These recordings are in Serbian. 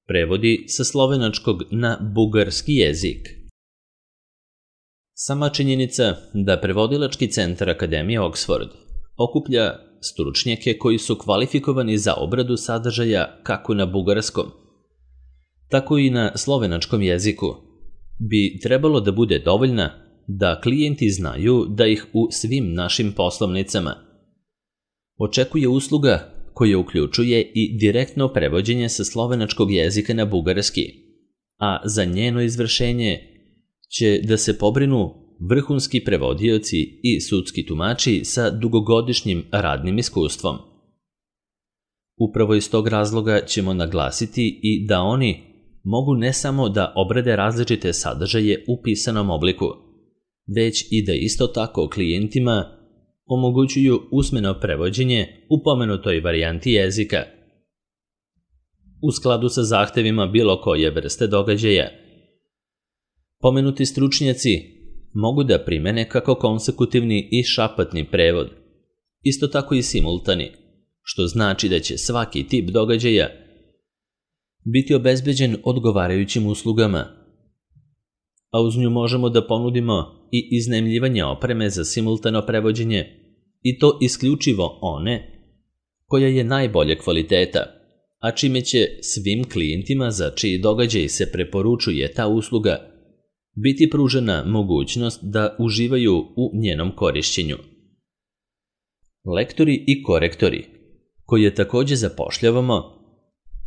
prevodi sa slovenačkog na bugarski jezik. Sama činjenica da prevodilački centar Akademije Oxford okuplja stručnjake koji su kvalifikovani za obradu sadržaja kako na bugarskom, tako i na slovenačkom jeziku, bi trebalo da bude dovoljna da klijenti znaju da ih u svim našim poslovnicama očekuje usluga koja uključuje i direktno prevođenje sa slovenačkog jezika na bugarski, a za njeno izvršenje će da se pobrinu vrhunski prevodioci i sudski tumači sa dugogodišnjim radnim iskustvom. Upravo iz tog razloga ćemo naglasiti i da oni mogu ne samo da obrade različite sadržaje u pisanom obliku, već i da isto tako klijentima omogućuju usmeno prevođenje u pomenutoj varijanti jezika. U skladu sa zahtevima bilo koje vrste događaja, pomenuti stručnjaci mogu da primene kako konsekutivni i šapatni prevod, isto tako i simultani, što znači da će svaki tip događaja biti obezbeđen odgovarajućim uslugama, a uz nju možemo da ponudimo i iznajmljivanje opreme za simultano prevođenje, i to isključivo one koja je najbolje kvaliteta, a čime će svim klijentima za čiji događaj se preporučuje ta usluga biti pružena mogućnost da uživaju u njenom korišćenju. Lektori i korektori, koje takođe zapošljavamo,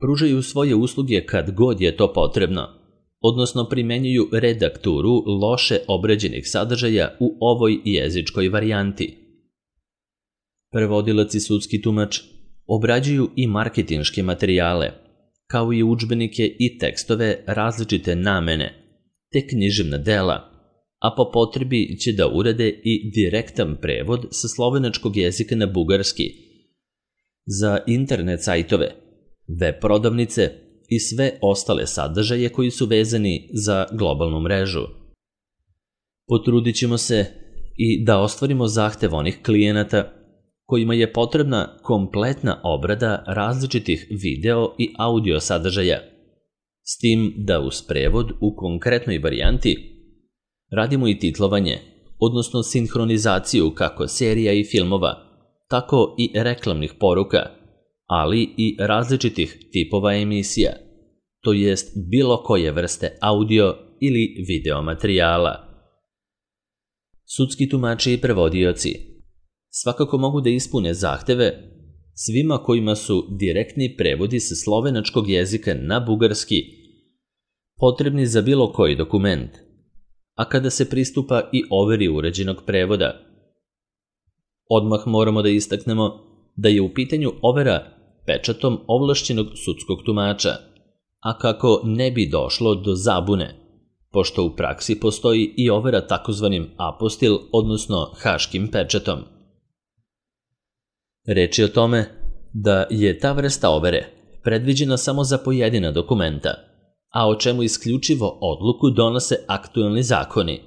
pružaju svoje usluge kad god je to potrebno, odnosno primenjuju redakturu loše obrađenih sadržaja u ovoj jezičkoj varijanti. Prevodilac i sudski tumač obrađuju i marketinške materijale, kao i udžbenike i tekstove različite namene, te književna dela, a po potrebi će da urade i direktan prevod sa slovenačkog jezika na bugarski za internet sajtove, web prodavnice i sve ostale sadržaje koji su vezani za globalnu mrežu. Potrudit ćemo se i da ostvarimo zahtev onih klijenata kojima je potrebna kompletna obrada različitih video i audio sadržaja, s tim da uz prevod u konkretnoj varijanti radimo i titlovanje, odnosno sinhronizaciju kako serija i filmova, tako i reklamnih poruka, ali i različitih tipova emisija, to jest bilo koje vrste audio ili video materijala. Sudski tumači i prevodioci svakako mogu da ispune zahteve svima kojima su direktni prevodi sa slovenačkog jezika na bugarski potrebni za bilo koji dokument, a kada se pristupa i overi uređenog prevoda. Odmah moramo da istaknemo da je u pitanju overa pečatom ovlašćenog sudskog tumača, a kako ne bi došlo do zabune, pošto u praksi postoji i overa takozvanim apostil, odnosno haškim pečatom. Reč je o tome da je ta vrsta overe predviđena samo za pojedina dokumenta, a o čemu isključivo odluku donose aktuelni zakoni.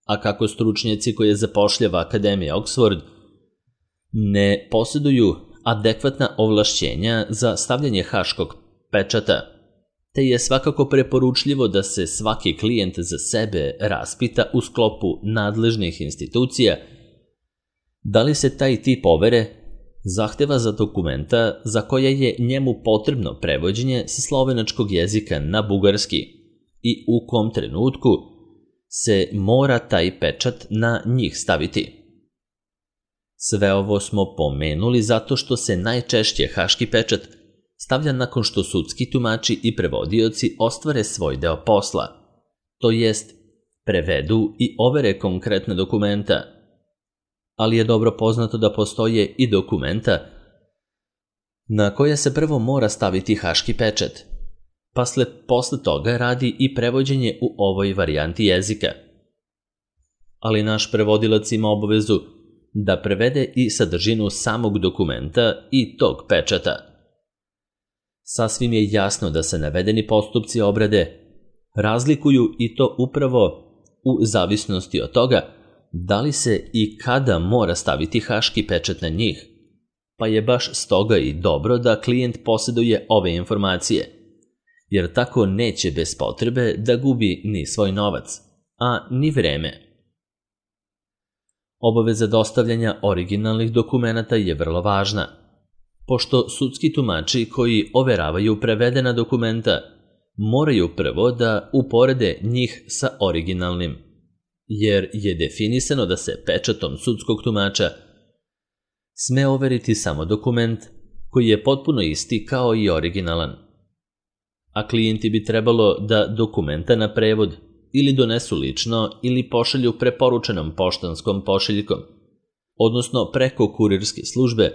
A kako stručnjaci koje zapošljava Akademija Oxford ne posjeduju adekvatna ovlašćenja za stavljanje haškog pečata, te je svakako preporučljivo da se svaki klijent za sebe raspita u sklopu nadležnih institucija da li se taj tip overe zahteva za dokumenta za koje je njemu potrebno prevođenje sa slovenačkog jezika na bugarski i u kom trenutku se mora taj pečat na njih staviti. Sve ovo smo pomenuli zato što se najčešće haški pečat stavlja nakon što sudski tumači i prevodioci ostvare svoj deo posla, to jest prevedu i overe konkretne dokumenta, ali je dobro poznato da postoje i dokumenta na koje se prvo mora staviti haški pečat, pa posle toga radi i prevođenje u ovoj varijanti jezika. Ali naš prevodilac ima obavezu da prevede i sadržinu samog dokumenta i tog pečata. Sasvim je jasno da se navedeni postupci obrade razlikuju i to upravo u zavisnosti od toga da li se i kada mora staviti haški pečat na njih, pa je baš stoga i dobro da klijent posjeduje ove informacije, jer tako neće bez potrebe da gubi ni svoj novac, a ni vreme. Obaveza dostavljanja originalnih dokumenata je vrlo važna, pošto sudski tumači koji overavaju prevedena dokumenta moraju prvo da uporede njih sa originalnim, jer je definisano da se pečatom sudskog tumača sme overiti samo dokument koji je potpuno isti kao i originalan. A klijenti bi trebalo da dokumenta na prevod ili donesu lično ili pošalju preporučenom poštanskom pošiljkom, odnosno preko kurirske službe,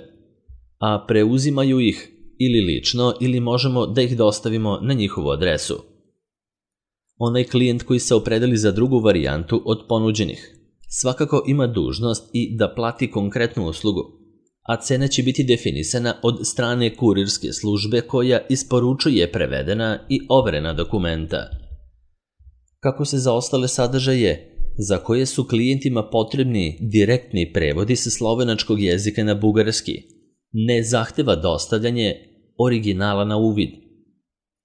a preuzimaju ih ili lično ili možemo da ih dostavimo na njihovu adresu. Onaj klijent koji se opredeli za drugu varijantu od ponuđenih svakako ima dužnost i da plati konkretnu uslugu, a cena će biti definisana od strane kurirske službe koja isporučuje prevedena i overena dokumenta. Kako se za ostale sadržaje, za koje su klijentima potrebni direktni prevodi sa slovenačkog jezika na bugarski, ne zahteva dostavljanje originala na uvid.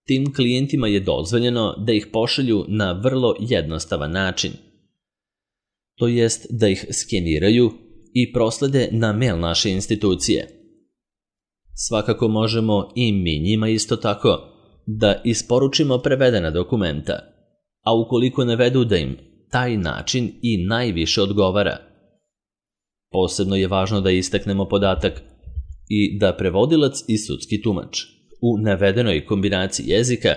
Tim klijentima je dozvoljeno da ih pošalju na vrlo jednostavan način, to jest da ih skeniraju i proslede na mail naše institucije. Svakako možemo i mi njima isto tako da isporučimo prevedena dokumenta, a ukoliko navedu da im taj način i najviše odgovara. Posebno je važno da istaknemo podatak i da prevodilac i sudski tumač u navedenoj kombinaciji jezika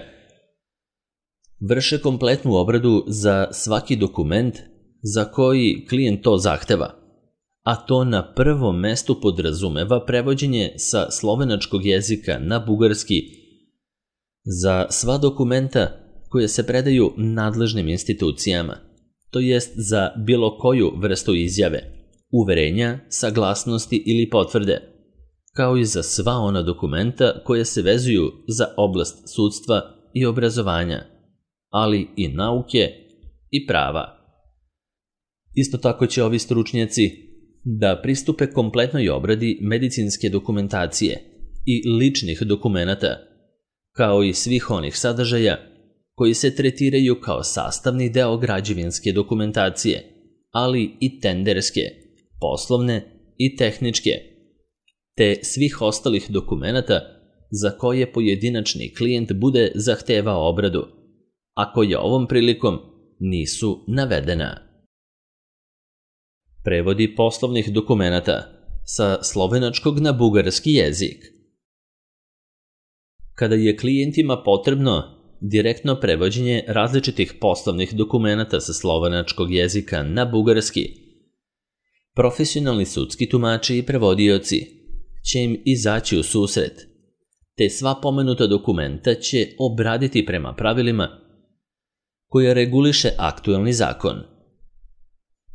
vrše kompletnu obradu za svaki dokument za koji klijent to zahteva, a to na prvom mestu podrazumeva prevođenje sa slovenačkog jezika na bugarski za sva dokumenta koje se predaju nadležnim institucijama, to jest za bilo koju vrstu izjave, uverenja, saglasnosti ili potvrde, kao i za sva ona dokumenta koje se vezuju za oblast sudstva i obrazovanja, ali i nauke i prava. Isto tako će ovi stručnjaci da pristupe kompletnoj obradi medicinske dokumentacije i ličnih dokumenata, kao i svih onih sadržaja koji se tretiraju kao sastavni deo građevinske dokumentacije, ali i tenderske, poslovne i tehničke, te svih ostalih dokumenata za koje pojedinačni klijent bude zahtevao obradu, a koje ovom prilikom nisu navedena. Prevodi poslovnih dokumenata sa slovenačkog na bugarski jezik. Kada je klijentima potrebno direktno prevođenje različitih poslovnih dokumenata sa slovenačkog jezika na bugarski, profesionalni sudski tumači i prevodioci će im izaći u susret, te sva pomenuta dokumenta će obraditi prema pravilima koje reguliše aktuelni zakon.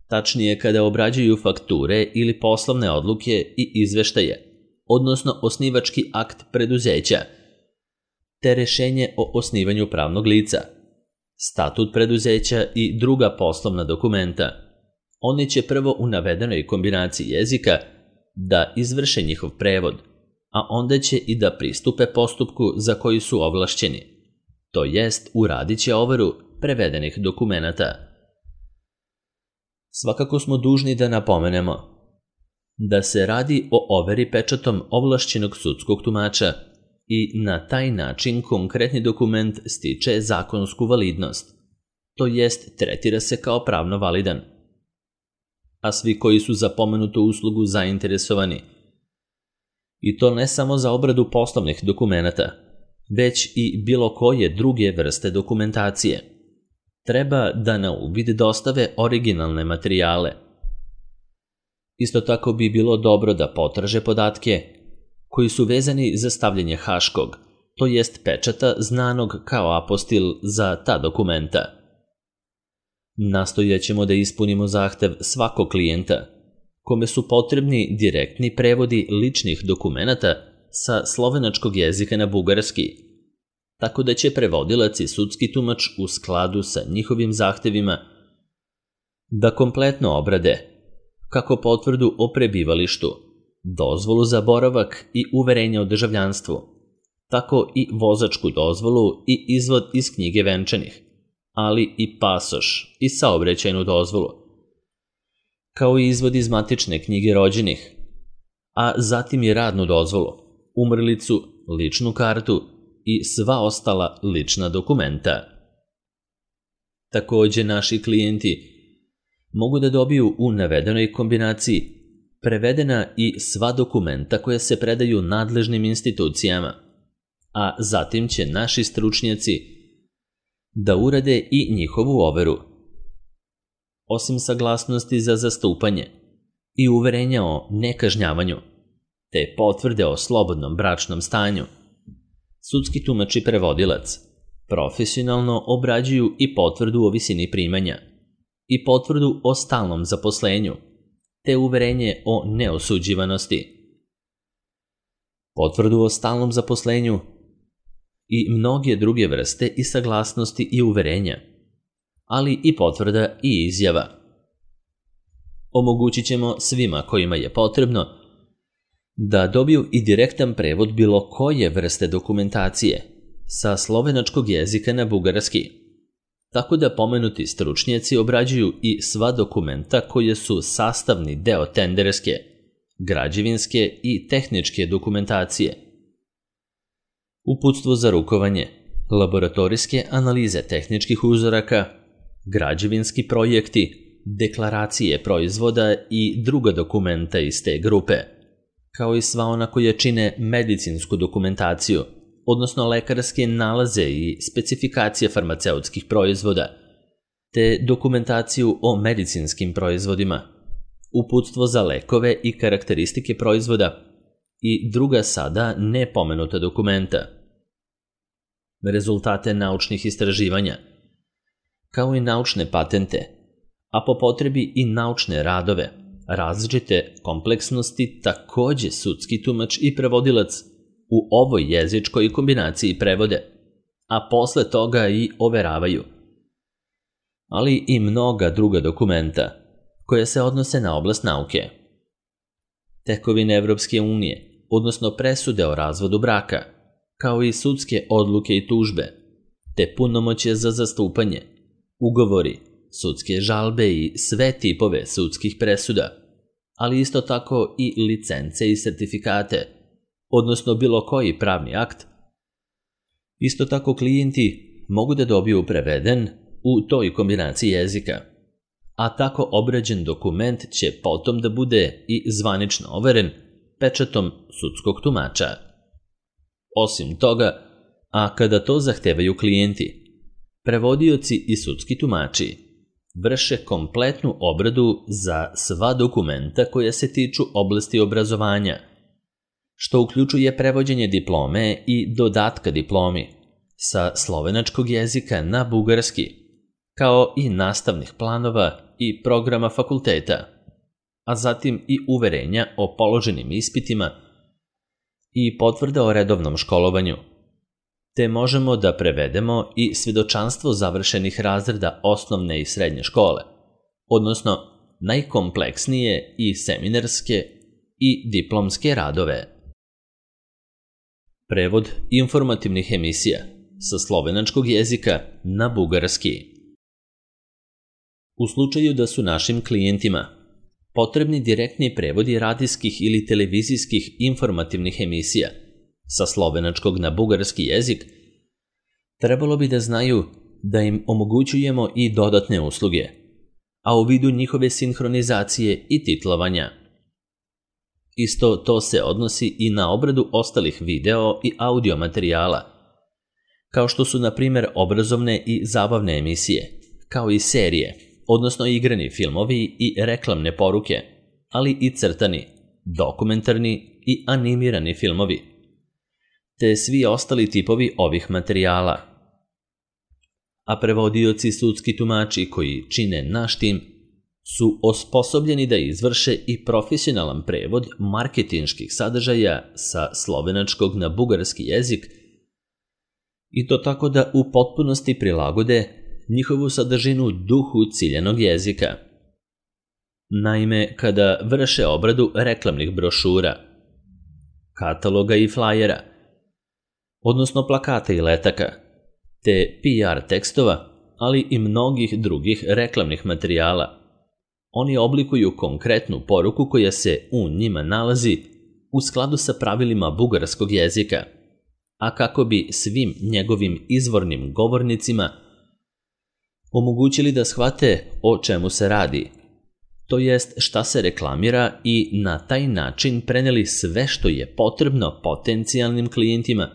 Tačnije, kada obrađuju fakture ili poslovne odluke i izveštaje, odnosno osnivački akt preduzeća, te rešenje o osnivanju pravnog lica, statut preduzeća i druga poslovna dokumenta, oni će prvo u navedenoj kombinaciji jezika da izvrše njihov prevod, a onda će i da pristupe postupku za koji su ovlašćeni, to jest uradit će overu prevedenih dokumenata. Svakako smo dužni da napomenemo da se radi o overi pečatom ovlašćenog sudskog tumača i na taj način konkretni dokument stiče zakonsku validnost, to jest tretira se kao pravno validan. A svi koji su za pomenutu uslugu zainteresovani, i to ne samo za obradu poslovnih dokumenata, već i bilo koje druge vrste dokumentacije, treba da na uvid dostave originalne materijale. Isto tako bi bilo dobro da potraže podatke koji su vezani za stavljanje haškog, to jest pečata znanog kao apostil za ta dokumenta. Nastojaćemo da ispunimo zahtev svakog klijenta, kome su potrebni direktni prevodi ličnih dokumenata sa slovenačkog jezika na bugarski, tako da će prevodilac i sudski tumač u skladu sa njihovim zahtevima da kompletno obrade kako potvrdu o prebivalištu, dozvolu za boravak i uverenje o državljanstvu, tako i vozačku dozvolu i izvod iz knjige venčanih, ali i pasoš i saobraćajnu dozvolu, kao i izvod iz matične knjige rođenih, a zatim i radnu dozvolu, umrlicu, ličnu kartu i sva ostala lična dokumenta. Takođe, naši klijenti mogu da dobiju u navedenoj kombinaciji prevedena i sva dokumenta koja se predaju nadležnim institucijama, a zatim će naši stručnjaci da urade i njihovu overu. Osim saglasnosti za zastupanje i uverenja o nekažnjavanju, te potvrde o slobodnom bračnom stanju, sudski tumač i prevodilac profesionalno obrađuju i potvrdu o visini primanja i potvrdu o stalnom zaposlenju, te uverenje o neosuđivanosti. Potvrdu o stalnom zaposlenju i mnoge druge vrste i saglasnosti i uverenja, ali i potvrda i izjava. Omogućit ćemo svima kojima je potrebno da dobiju i direktan prevod bilo koje vrste dokumentacije sa slovenačkog jezika na bugarski, tako da pomenuti stručnjaci obrađuju i sva dokumenta koje su sastavni deo tenderske, građevinske i tehničke dokumentacije. Uputstvo za rukovanje, laboratorijske analize tehničkih uzoraka, građevinski projekti, deklaracije proizvoda i druga dokumenta iz te grupe, kao i sva ona koja čine medicinsku dokumentaciju, odnosno lekarske nalaze i specifikacije farmaceutskih proizvoda, te dokumentaciju o medicinskim proizvodima, uputstvo za lekove i karakteristike proizvoda i druga sada nepomenuta dokumenta, rezultate naučnih istraživanja, kao i naučne patente, a po potrebi i naučne radove, različite kompleksnosti takođe sudski tumač i prevodilac u ovoj jezičkoj kombinaciji prevode, a posle toga i overavaju, ali i mnoga druga dokumenta koja se odnose na oblast nauke. Tekovine Evropske unije, odnosno presude o razvodu braka, kao i sudske odluke i tužbe, te punomoćje za zastupanje, ugovori, sudske žalbe i sve tipove sudskih presuda, ali isto tako i licence i sertifikate, odnosno bilo koji pravni akt. Isto tako klijenti mogu da dobiju preveden u toj kombinaciji jezika, a tako obrađen dokument će potom da bude i zvanično overen pečatom sudskog tumača. Osim toga, a kada to zahtevaju klijenti, prevodioci i sudski tumači vrše kompletnu obradu za sva dokumenta koja se tiču oblasti obrazovanja, što uključuje prevođenje diplome i dodatka diplomi sa slovenačkog jezika na bugarski, kao i nastavnih planova i programa fakulteta, a zatim i uverenja o položenim ispitima i potvrda o redovnom školovanju, te možemo da prevedemo i svedočanstvo završenih razreda osnovne i srednje škole, odnosno najkompleksnije i seminarske i diplomske radove. Prevod informativnih emisija sa slovenačkog jezika na bugarski. U slučaju da su našim klijentima potrebni direktni prevodi radijskih ili televizijskih informativnih emisija sa slovenačkog na bugarski jezik, trebalo bi da znaju da im omogućujemo i dodatne usluge, a u vidu njihove sinhronizacije i titlovanja. Isto to se odnosi i na obradu ostalih video i audio materijala, kao što su, na primjer, obrazovne i zabavne emisije, kao i serije, odnosno igrani filmovi i reklamne poruke, ali i crtani, dokumentarni i animirani filmovi, te svi ostali tipovi ovih materijala. A prevodioci sudski tumači koji čine naš tim su osposobljeni da izvrše i profesionalan prevod marketinških sadržaja sa slovenačkog na bugarski jezik i to tako da u potpunosti prilagode njihovu sadržinu duhu ciljanog jezika. Naime, kada vrše obradu reklamnih brošura, kataloga i flajera, odnosno plakata i letaka, te PR tekstova, ali i mnogih drugih reklamnih materijala. Oni oblikuju konkretnu poruku koja se u njima nalazi u skladu sa pravilima bugarskog jezika, a kako bi svim njegovim izvornim govornicima omogućili da shvate o čemu se radi, to jest šta se reklamira i na taj način preneli sve što je potrebno potencijalnim klijentima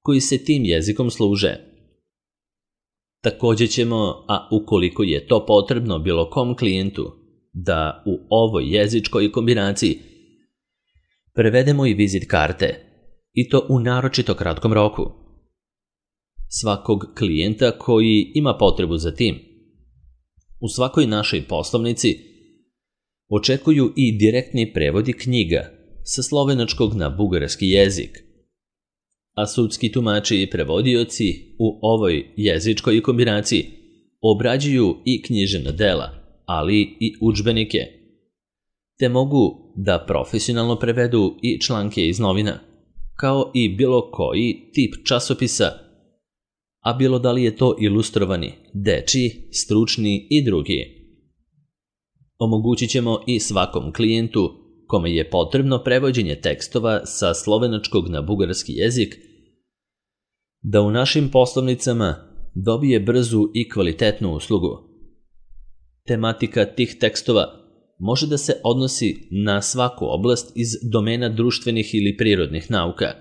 koji se tim jezikom služe. Također ćemo, a ukoliko je to potrebno bilo kom klijentu, da u ovoj jezičkoj kombinaciji prevedemo i vizit karte, i to u naročito kratkom roku. Svakog klijenta koji ima potrebu za tim. U svakoj našoj poslovnici očekuju i direktni prevodi knjiga sa slovenačkog na bugarski jezik, a sudski tumači i prevodioci u ovoj jezičkoj kombinaciji obrađuju i književna dela, ali i udžbenike, te mogu da profesionalno prevedu i članke iz novina, kao i bilo koji tip časopisa, a bilo da li je to ilustrovani, dečiji, stručni i drugi. Omogućit ćemo i svakom klijentu kome je potrebno prevođenje tekstova sa slovenačkog na bugarski jezik da u našim poslovnicama dobije brzu i kvalitetnu uslugu. Tematika tih tekstova može da se odnosi na svaku oblast iz domena društvenih ili prirodnih nauka,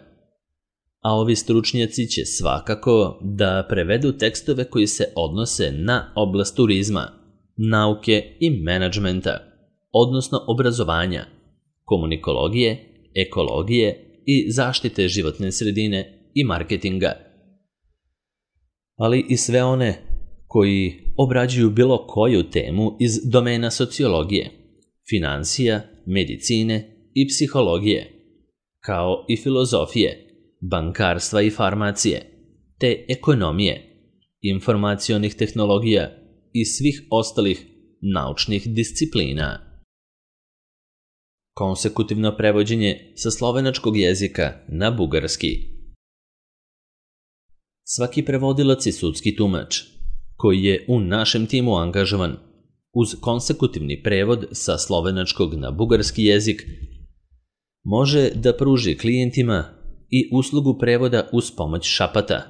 a ovi stručnjaci će svakako da prevedu tekstove koji se odnose na oblast turizma, nauke i menadžmenta, odnosno obrazovanja, komunikologije, ekologije i zaštite životne sredine i marketinga, ali i sve one koji obrađuju bilo koju temu iz domena sociologije, finansija, medicine i psihologije, kao i filozofije, bankarstva i farmacije, te ekonomije, informacionih tehnologija i svih ostalih naučnih disciplina. Konsekutivno prevođenje sa slovenačkog jezika na bugarski. Svaki prevodilac i sudski tumač koji je u našem timu angažovan uz konsekutivni prevod sa slovenačkog na bugarski jezik može da pruži klijentima i uslugu prevoda uz pomoć šapata,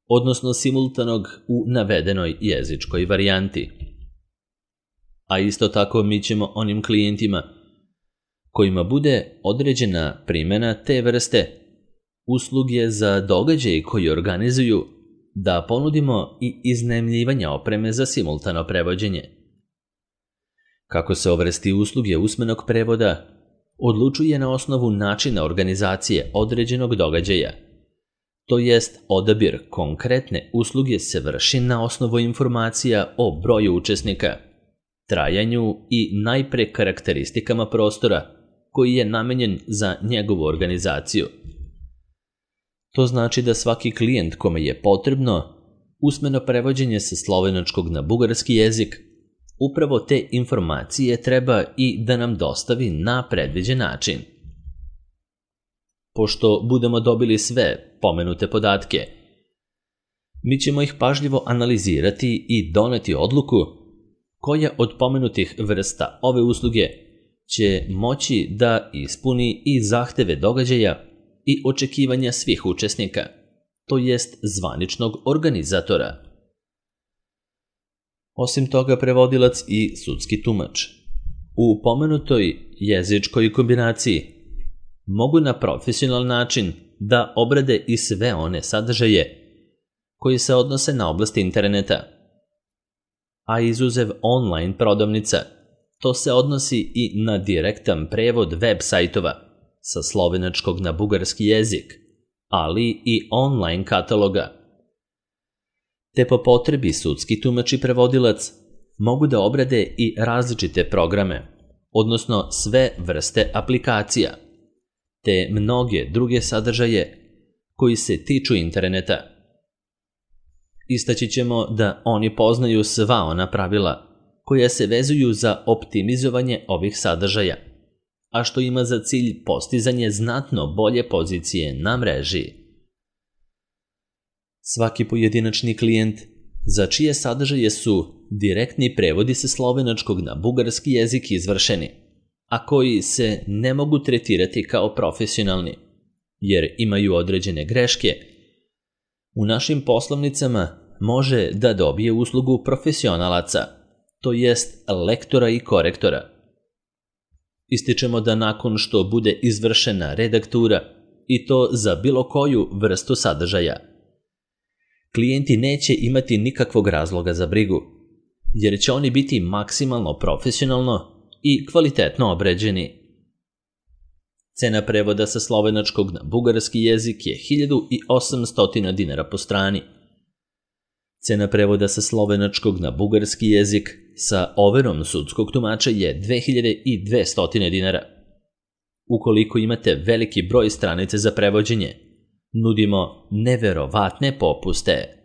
odnosno simultanog u navedenoj jezičkoj varijanti. A isto tako mi ćemo onim klijentima kojima bude određena primjena te vrste usluge za događaj koji organizuju da ponudimo i iznajmljivanje opreme za simultano prevođenje. Kako se o vrsti usluge usmenog prevoda odlučuje na osnovu načina organizacije određenog događaja, to jest odabir konkretne usluge se vrši na osnovu informacija o broju učesnika, trajanju i najpre karakteristikama prostora koji je namenjen za njegovu organizaciju. To znači da svaki klijent kome je potrebno usmeno prevođenje sa slovenačkog na bugarski jezik upravo te informacije treba i da nam dostavi na predviđen način. Pošto budemo dobili sve pomenute podatke, mi ćemo ih pažljivo analizirati i doneti odluku koja od pomenutih vrsta ove usluge će moći da ispuni i zahteve događaja i očekivanja svih učesnika, to jest zvaničnog organizatora. Osim toga, prevodilac i sudski tumač u pomenutoj jezičkoj kombinaciji mogu na profesionalan način da obrade i sve one sadržaje koji se odnose na oblast interneta, a izuzev online prodavnica, to se odnosi i na direktan prevod web sajtova sa slovenačkog na bugarski jezik, ali i online kataloga. Te po potrebi sudski tumač i prevodilac mogu da obrade i različite programe, odnosno sve vrste aplikacija, te mnoge druge sadržaje koji se tiču interneta. Istaći ćemo da oni poznaju sva ona pravila koja se vezuju za optimizovanje ovih sadržaja, a što ima za cilj postizanje znatno bolje pozicije na mreži. Svaki pojedinačni klijent za čije sadržaje su direktni prevodi sa slovenačkog na bugarski jezik izvršeni, a koji se ne mogu tretirati kao profesionalni, jer imaju određene greške, u našim poslovnicama može da dobije uslugu profesionalaca, to jest lektora i korektora. Ističemo da nakon što bude izvršena redaktura, i to za bilo koju vrstu sadržaja, klijenti neće imati nikakvog razloga za brigu, jer će oni biti maksimalno profesionalno i kvalitetno obređeni. Cena prevoda sa slovenačkog na bugarski jezik je 1800 dinara po strani. Cena prevoda sa slovenačkog na bugarski jezik sa overom sudskog tumača je 2200 dinara. Ukoliko imate veliki broj stranica za prevođenje, nudimo neverovatne popuste.